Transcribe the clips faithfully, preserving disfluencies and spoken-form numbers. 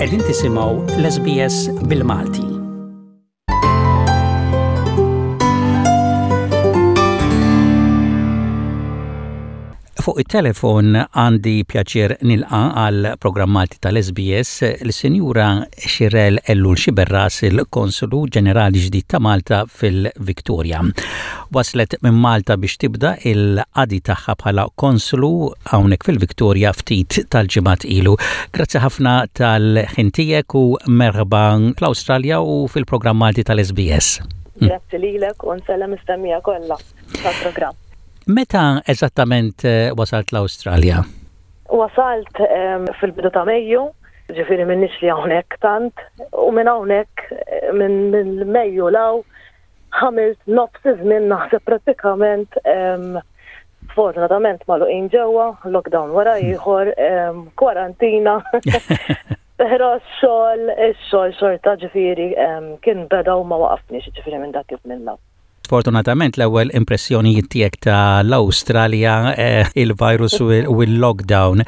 Qegħdin tisimgħu l-S B S bil-Malti. Fuq it-telefon għandi pjaċir nilqa għal programm Malti tal-S B S l-Sinjura Xirel Ellul Xiberras, il-Konsulu Ġenerali ġdid ta' Malta fil-Victoria. Waslet minn Malta biex tibda il-qadi tagħha bħala konsulu hawnhekk fil-Victoria ftit tal-ġimgħat ilu. Grazzi ħafna tal-ħin tiegħek u merħba fl-Awstralja u fil-programm Malti tal-S B S. Grazzi lilek u nsellem is-semmiegħa kollha tal-programm. Meta eżattament eh, wasalt l-Awstralja? Wasalt fil-bidu ta' Mejju, ġifieri m'ilnix li hawnhekk tant, u minn hawnhekk eh, minn Mejju 'l hawn għamilt nofs iż-żmien naħseb prattikament sfortunatament magħluqin ġewwa, lockdown wara ieħor, kwarantina. Però x-xogħol, ix-xogħol xorta ġifieri kien beda u ma waqafniex ġifieri minn dak iż-żmien. Sfortunatament l-ewwel impressjonijiet tiegħek ta' l-Awstralja eh, il-virus u il-lockdown.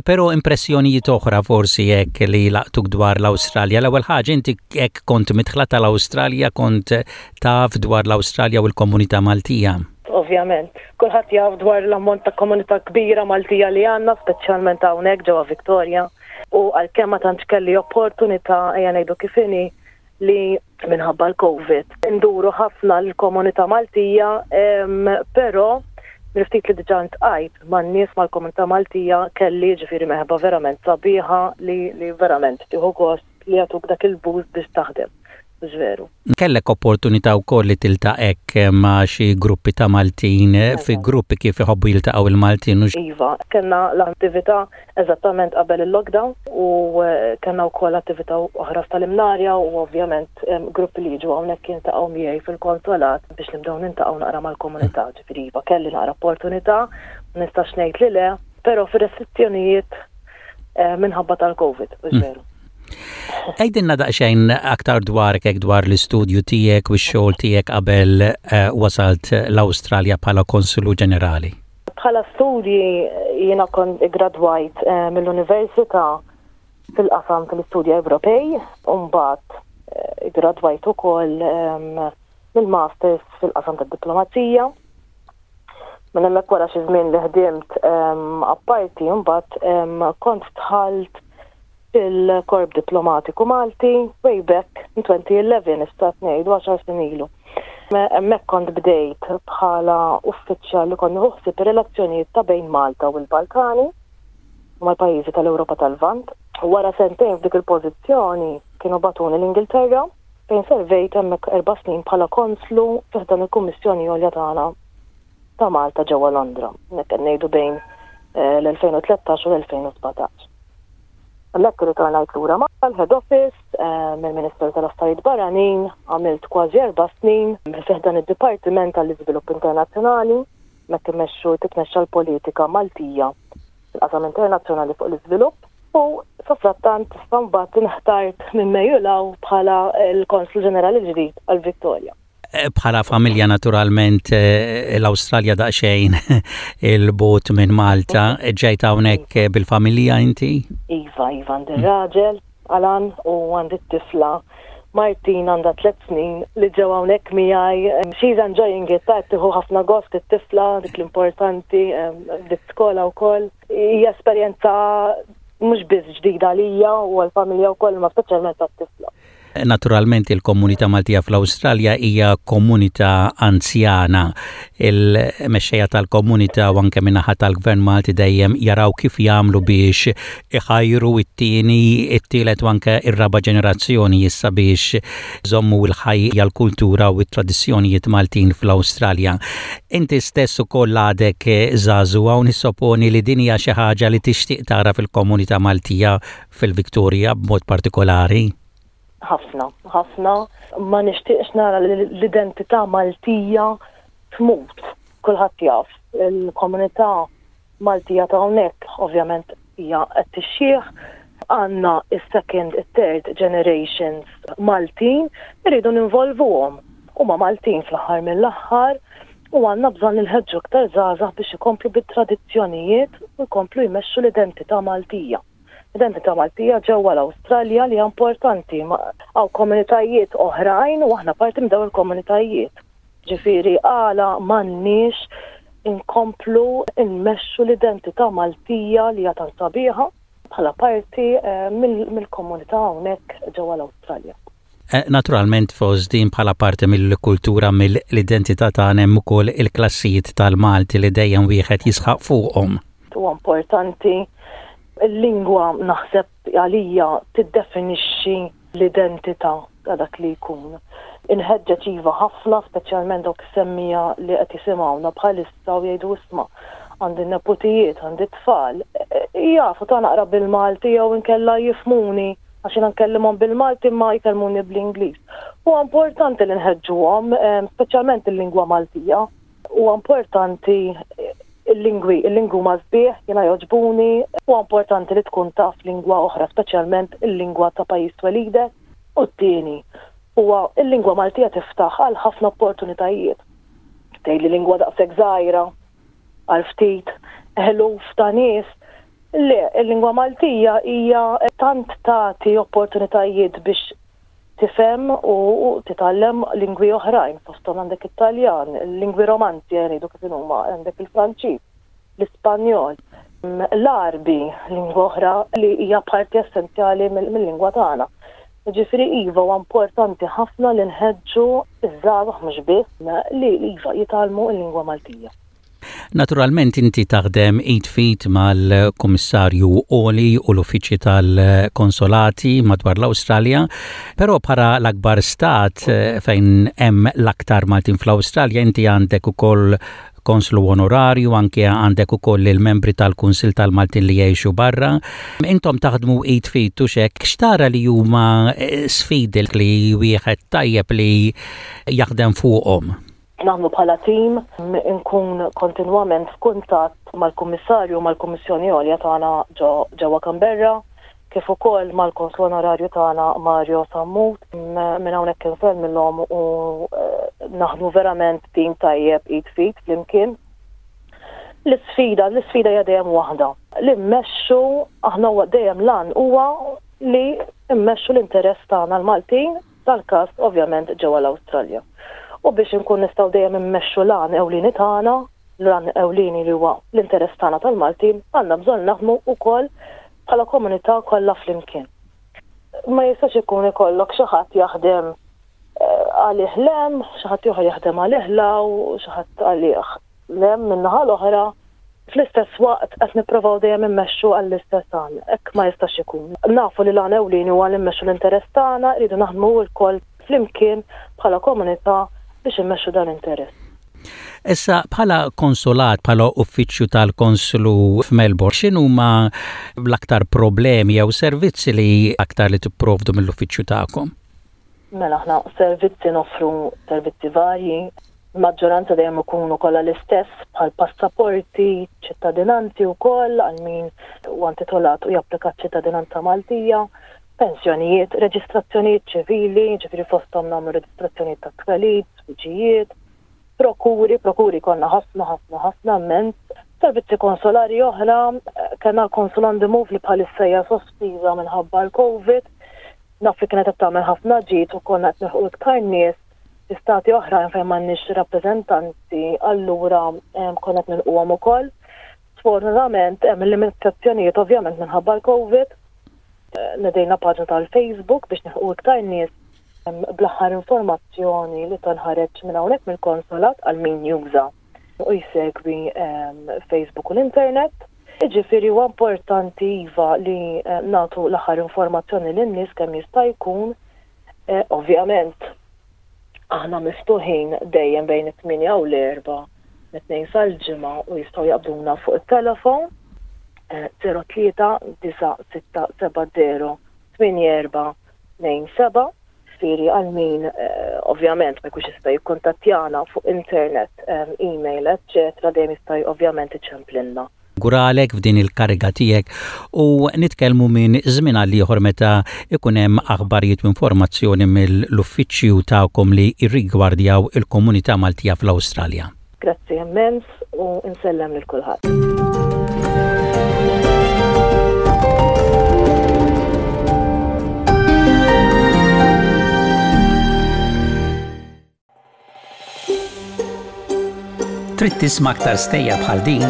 Però impressjonijiet oħra forsi hekk li laqtuk dwar l-Awstralja. L-ewwel ħaġa, inti hekk kont midħla tal-Awstralja, kont taf dwar l-Awstralja u l-komunità Maltija? Ovvjament, kulħadd jaf dwar l-ammont ta' komunità kbira Maltija li għandna, speċjalment hawnhekk ġewwa Victoria. U għalkemm ma tantx kelli opportunità, ejja ngħidu kif inhi, li minħabba l-Covid induru ħafna l-komunità Maltija, però ftit li diġà ltqajt man-nies mal-komunità Maltija kelli ġifieri merħba verament sabiħa li, li verament tieħu gost li jagħtuk dak il-boost biex taħdem. Veru. Kellek opportunità wkoll li tiltaqa' ma' xi gruppi ta' Maltin, fi gruppi kif iħobbu jiltaqgħu il-Maltin? Iva, kellna l-attività eżattament qabel il-lockdown u eh, kellna wkoll attività oħra tal-Imnarja u ovvjament gruppi li jiġu hawnhekk jiltaqgħu miegħi fil-konsolat biex nibdew niltaqgħu naqra mal-komunità. Ġifieri iva, kelli naqra opportunità, nistax ngħid li le, però fir-restrizzjonijiet eh, minħabba tal-Covid, mm. veru. Għidilna daqsxejn aktar dwar kek dwar l-istudju tiegħek u x-xogħol tiegħek qabel uh, wasalt l-Awstralja bħala konsulu ġenerali. Bħala studji jiena kont gradwajt eh, mill-Università fil-qasam tal-istudji Ewropej, u mbagħad eh, gradwajt ukoll mill-masters fil-qasam tad-diplomazija. Minn hemmhekk, wara xi żmien li ħdimt apparti, mbagħad kont dħalt fil-Korp Diplomatiku Malti way back in twenty eleven, nista' ngħidu għaxar snin ilu. Hemmhekk kont bdejt bħala uffiċjal li kont nieħu relazzjonijiet ta' bejn Malta u l-Balkani u mal-pajjiżi tal-Ewropa tal-Lvant. Wara sentejn f'dik il-pożizzjoni kienu bagħtuni l-Ingilterra, fejn servejt hemmhekk erba' snin bħala konslu fi ħdan il-Kummissjoni Għolja tagħna ta' Malta ġewwa Londra. Hekk ngħidu bejn eh, l-elfejn u tlettax u l-elfejn u sbatax. Hemmhekk ritornajt lura mal-head office eh, mill-Ministeru tal-Affarijiet Barranin, għamilt kważi erba' snin fi ħdan id-Dipartiment tal-Iżvilupp Internazzjonali, hemmhekk immexxu titmexxa l-politika Maltija fil-qasam internazzjonali fuq l-iżvilupp. U safrattant mbagħad inħtart minn Mejju 'l hawn bħala l-Konslu Ġenerali ġdid għal Victoria. Eh, bħala familja naturalment eh, l-Awstralja daqsxejn 'il bogħod minn Malta. Ġejt hawnhekk bil-familja inti? Iva, Iva, għandi raġel, Alan, u għandi t-tifla Martin, għandha tliet snin, li ġew hawnhekk miegħi. She's enjoying it, ta' tieħu ħafna gost it-tifla, dik l-importanti, dik skola wkoll. Hija esperjenza mhux biss ġdida għalija u għall-familja wkoll, ma speċjalment għat-tifla. Naturalment il-komunità Maltija fl-Awstralja hija komunità anzjana. Il-mexxejja tal-komunità u anke min-naħa tal-Gvern Malti dejjem jaraw kif jagħmlu biex iħajru it-tieni, it-tielet u anke ir-raba' ġenerazzjoni issa biex iżommu l-ħajja, l-kultura u t-tradizzjonijiet Maltin fl-Awstralja. Inti stess ukoll għadek żagħżugħa u nissoponi li din hija xi ħaġa li tixtieq tara fil-komunità Maltija fil-Viktoria b'mod partikolari. Ħafna, ħafna. Ma nixtieqx nara l-identità Maltija tmut. Kulħadd jaf, il-komunità Maltija ta' hawnhekk ovvjament hija qed tixjieħ, għandna is-second, third generations Maltin, irridu ninvolvuhom. Huma Maltin fl-aħħar mill-aħħar u għandna bżonn inħeġġu aktar żgħażagħ biex ikomplu bit-tradizzjonijiet u jkomplu jmexxu l-identità Maltija. Identità Maltija ġewwa l-Awstralja li hija importanti. Hawn komunitajiet oħrajn u aħna parti minn dawn il-komunitajiet. Ġifieri għala m'għandniex inkomplu nmexxu l-identità Maltija li hija tant sabiħa bħala parti eh, mill-komunità hawnhekk ġewwa l-Awstralja. Eh, naturalment fost din bħala parti mill-kultura, mill-identità tagħna, hemm ukoll il-klassijiet tal-Malti li dejjem wieħed jisħaq fuqhom. Huwa importanti, il-lingwa naħseb għalija tiddefinixxi l-identità ta' dak li jkun. Inħeġġeġ iva ħafna, speċjalment dawk is-semmiegħa li qed jisimgħuna bħalissa u jgħidu, "Isma', għandi neputijiet, għandi tfal, jafu ta' naqra bil-Malti jew inkella jifhmuni għax jiena nkellimhom bil-Malti ma jkellmuni bl-Ingliż." Huwa importanti li nħeġġuhom, speċjalment il-lingwa Maltija. Huwa importanti il-lingwi, il-lingwi huma sbieħ, jiena jogħġbuni, huwa importanti li tkun taf lingwa oħra, speċjalment il-lingwa ta' pajjiż twelidek. U t-tieni, huwa il-lingwa Maltija tiftaħ għal ħafna opportunitajiet. Tgħid li lingwa daqshekk żgħira għal ftit eluf ta' nies. Le, il-lingwa Maltija hija tant tagħti opportunitajiet biex tifhem u titgħallem lingwi oħrajn, fosthom għandek Italjan, lingwi romanzi jgħidu kif huma, għandek il-Franċiż, l-Ispanjol, l-Għarbi, lingwa oħra li hija parti essenzjali mill-lingwa tagħna. Ġifieri iva, huwa importanti ħafna li nħeġġu iż-żgħażagħ, mhux biss, li iva jitgħallmu l-lingwa Maltija. Naturalment inti taħdem id f'id mal-Kummissarju Għoli u l-uffiċċji tal-konsolati madwar l-Awstralja, però bħala l-akbar stat eh, fejn hemm l-aktar Maltin fl-Awstralja, inti għandek ukoll konslu onorarju, anke għandek ukoll il-membri tal-Kunsil tal-Maltin li jgħixu barra. Intom taħdmu id f'id u hekk, x'tara li huma eh, sfidi li wieħed tajjeb li jaħdem fuqhom? Naħdmu bħala tim, nkun kontinwament f'kuntatt mal-Kummissarju, mal-Kummissjoni Għolja tagħna ġewwa Canberra, kif ukoll mal-Konslu Onorarju tagħna Mario Sammut. Minn hawnhekk insellmilhom u eh, naħdmu verament tim tajjeb, id f'id flimkien. L-isfida, l-isfida hija dejjem waħda. Li mmexxu, aħna huwa dejjem l-għan huwa li mmexxu l-interess tagħna l-Maltin, tal-każ ovvjament ġewwa l-Awstralja. U biex nkun nistgħu dejjem immexxu l-għan ewlieni tagħna, l-għan ewlieni li huwa l-interess tagħna tal-Maltin, għandna bżonn naħdmu wkoll bħala komunità kollha flimkien. Ma jistax ikun ikollok xi ħadd jaħdem eh, għalih 'l hemm, xi ħadd ieħor jaħdem għalih 'l hawn, u xi ħadd għalih 'l hemm min-naħa l-oħra. Fl-istess waqt qed nippruvaw dejjem immexxu għall-istess għan. Hekk ma jistax ikun. Nafu li l-għan ewlieni huwa li mmexxu l-interess tagħna, rridu naħdmu lkoll flimkien bħala komunità biex immexxu dan l-interess. Issa bħala konsolat, bħala uffiċċju tal-konslu f'Melbourne, x'inhuma l-aktar problemi jew servizzi li aktar li tipprovdu mill-uffiċċju tagħkom? Mela aħna servizzi noffru servizzi varji, maġġoranza dejjem ikunu kollha l-istess, bħal passaporti, ċittadinanzi wkoll għal min huwa intitolat u japplika ċittadinanza Maltija, pensjonijiet, reġistrazzjonijiet ċivili, ġifieri fosthom nagħmlu reġistrazzjonijiet ta' twelid, żwiġijiet, prokuri, prokuri konna ħafna ħafna ħafna immens, servizzi konsolari oħra, kellna l-Consul on the Move li bħalissa hija sospiża minħabba l-Covid, naf li kienet qed tagħmel ħafna ġid u konna qed nilħqu iktar nies fi stati oħra fejn m'għandniex rappreżentanti, allura konna qed nilħquhom ukoll. Sfortunatament hemm limitazzjonijiet ovvjament minħabba l-Covid. Nedejna paġna tal-Facebook biex nilħqu iktar nies bl-aħħar informazzjoni li tinħareġ minn hawnhekk mill-konsolat għal min juża u jsegwi Facebook u l-internet. Ġifieri huwa importanti iva li nagħtu l-aħħar informazzjoni lin-nies kemm jista' jkun. Ovvjament aħna miftuħin dejjem bejn it-tmienja u l-erbgħa, mit-Tnejn sal-Ġimgħa, u jistgħu jaqbduna fuq it-telefon żero tlieta disa' sitta seba' żero tmienja erba' tnejn seba'. Ġifieri għal min ovvjament ma jkunx jista' jikkuntattjana fuq internet, email, eċċetera, dejjem jista' ovvjament iċemplilna. Nawguralek f'din il-kariga tiegħek u nitkellmu minn żmien għal ieħor meta ikun hemm aħbarijiet u informazzjoni mill-uffiċċju tagħkom li jirrigwardjaw il-komunità Maltija fl-Awstralja. Grazzi immens u insellem lil kulħadd. Trid tisma' aktar stejjer bħal din?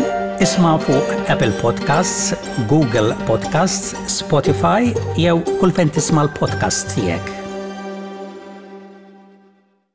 Isma' fuq Apple Podcasts, Google Podcasts, Spotify jew kull fejn tisma' l-podcast tiegħek.